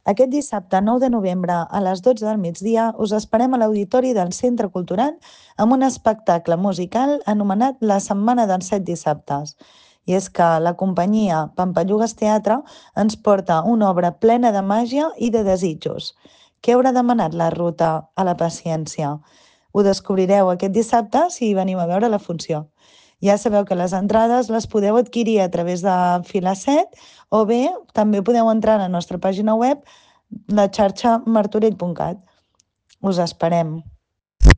Aquest dissabte 9 de novembre a les 12 del migdia us esperem a l'Auditori del Centre Cultural amb un espectacle musical anomenat La Setmana dels 7 dissabtes. I és que la companyia Pampallugues Teatre ens porta una obra plena de màgia i de desitjos. Què haurà demanat la ruta a la paciència? Ho descobrireu aquest dissabte si veniu a veure la funció. Ja sabeu que les entrades les podeu adquirir a través de Filaset o bé també podeu entrar a la nostra pàgina web, la xarxa martorell.cat. Us esperem.